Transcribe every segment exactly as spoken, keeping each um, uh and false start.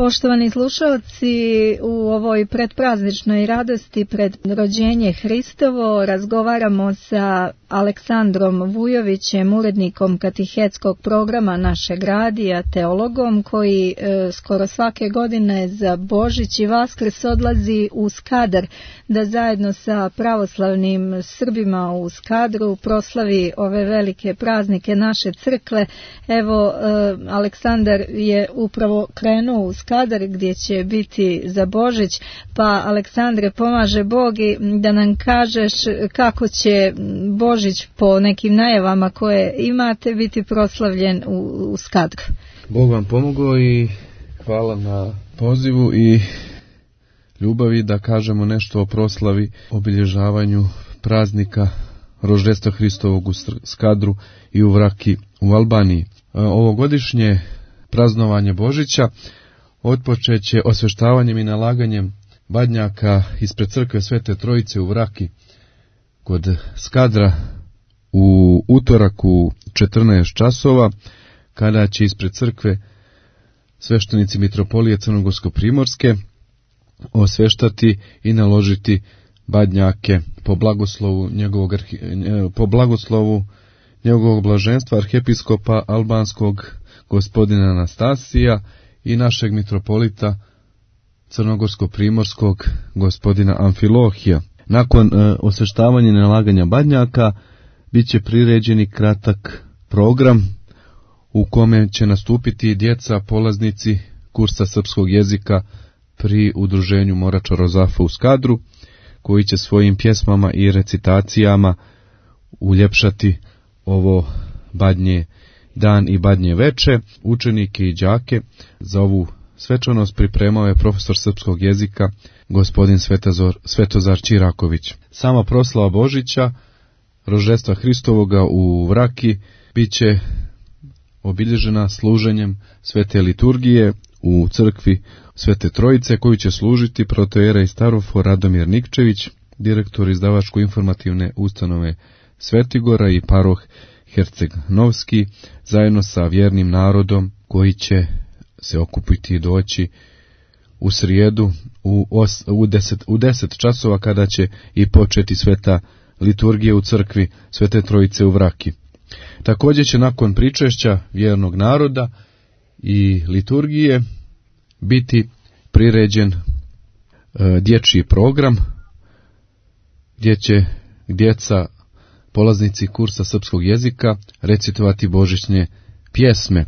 Poštovani slušalci, u ovoj predprazničnoj radosti pred rođenje Hristovo razgovaramo sa Aleksandrom Vujovićem, urednikom katehetskog programa našeg radija, teologom koji e, skoro svake godine za Božić i Vaskrs odlazi u Skadar da zajedno sa pravoslavnim Srbima u Skadru proslavi ove velike praznike naše crkve. Evo, e, Aleksandar je upravo krenuo u Skadar gdje će biti za Božić, pa Aleksandre, pomaže Bog i da nam kažeš kako će Božić po nekim najavama koje imate biti proslavljen u, u Skadru. Bog vam pomogao i hvala na pozivu i ljubavi da kažemo nešto o proslavi, obilježavanju praznika Roždestva Hristovog u Skadru i u Vraki u Albaniji. Ovogodišnje praznovanje Božića otpočeće osveštavanjem i nalaganjem badnjaka ispred crkve Svete Trojice u Vraki kod Skadra u utorak u četrnaest časova, kada će ispred crkve sveštenici mitropolije Crnogorsko-primorske osveštati i naložiti badnjake po blagoslovu njegovog, po blagoslovu njegovog blaženstva arhijepiskopa albanskog gospodina Anastasija i našeg mitropolita Crnogorsko-primorskog gospodina Amfilohija. Nakon e, osveštavanja i nalaganja badnjaka bit će priređeni kratak program u kome će nastupiti djeca polaznici kursa srpskog jezika pri udruženju Morača Rozafa u Skadru, koji će svojim pjesmama i recitacijama uljepšati ovo badnje dan i badnje veče. Učenike i đake za ovu svečanost pripremao je profesor srpskog jezika gospodin Svetozar, Svetozar Čiraković. Sama proslava Božića, Roždestva Hristovoga u Vraki, bit će obilježena služenjem svete liturgije u crkvi Svete Trojice, koju će služiti protoijerej Starofor Radomir Nikčević, direktor izdavačko-informativne ustanove Svetigora i paroh Herceg Novski, zajedno sa vjernim narodom koji će se okupiti i doći u srijedu u, os, u, deset, u deset časova, kada će i početi sveta liturgija u crkvi Svete Trojice u Vraki. Također će nakon pričešća vjernog naroda i liturgije biti priređen e, dječji program gdje će djeca, polaznici kursa srpskog jezika, recitovati božićne pjesme.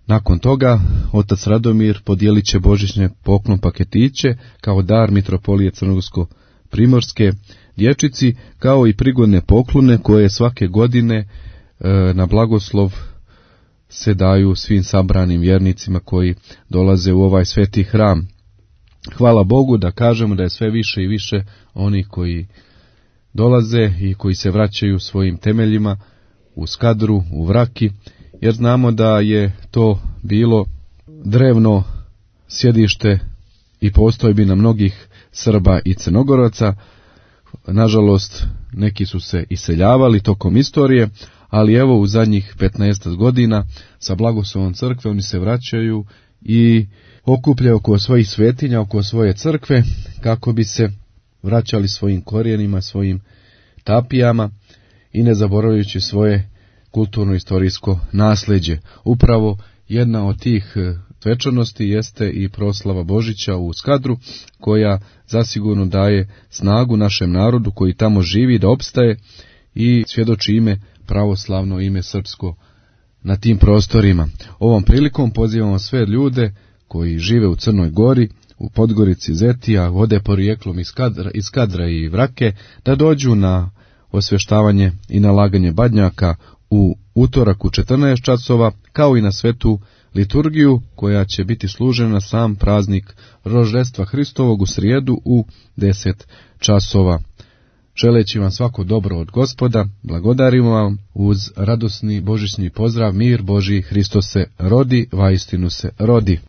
Nakon toga otac Radomir podijelit će božićne poklon paketiće kao dar mitropolije Crnogorsko-primorske dječici, kao i prigodne poklone koje svake godine e, na blagoslov se daju svim sabranim vjernicima koji dolaze u ovaj sveti hram. Hvala Bogu da kažemo da je sve više i više onih koji dolaze i koji se vraćaju svojim temeljima u Skadru, u Vraki, jer znamo da je to bilo drevno sjedište i postojbina mnogih Srba i Crnogoraca. Nažalost, neki su se iseljavali tokom istorije, ali evo u zadnjih petnaest godina sa blagoslovom crkve oni se vraćaju i okupljaju oko svojih svetinja, oko svoje crkve, kako bi se vraćali svojim korijenima, svojim tapijama i ne zaboravljajući svoje kulturno-istorijsko nasljeđe. Upravo jedna od tih svečanosti jeste i proslava Božića u Skadru, koja zasigurno daje snagu našem narodu koji tamo živi da opstaje i svjedoči ime pravoslavno, ime srpsko na tim prostorima. Ovom prilikom pozivamo sve ljude koji žive u Crnoj Gori, u Podgorici, Zetija, vode porijeklom iz Skadra, iz Skadra i Vrake, da dođu na osvještavanje i nalaganje badnjaka u utorak u četrnaest časova, kao i na svetu liturgiju koja će biti služena sam praznik Roždestva Hristovog u srijedu u deset časova. Želeći vam svako dobro od Gospoda, blagodarimo vam uz radosni božićni pozdrav: mir Božji, Hristos se rodi, vaistinu se rodi.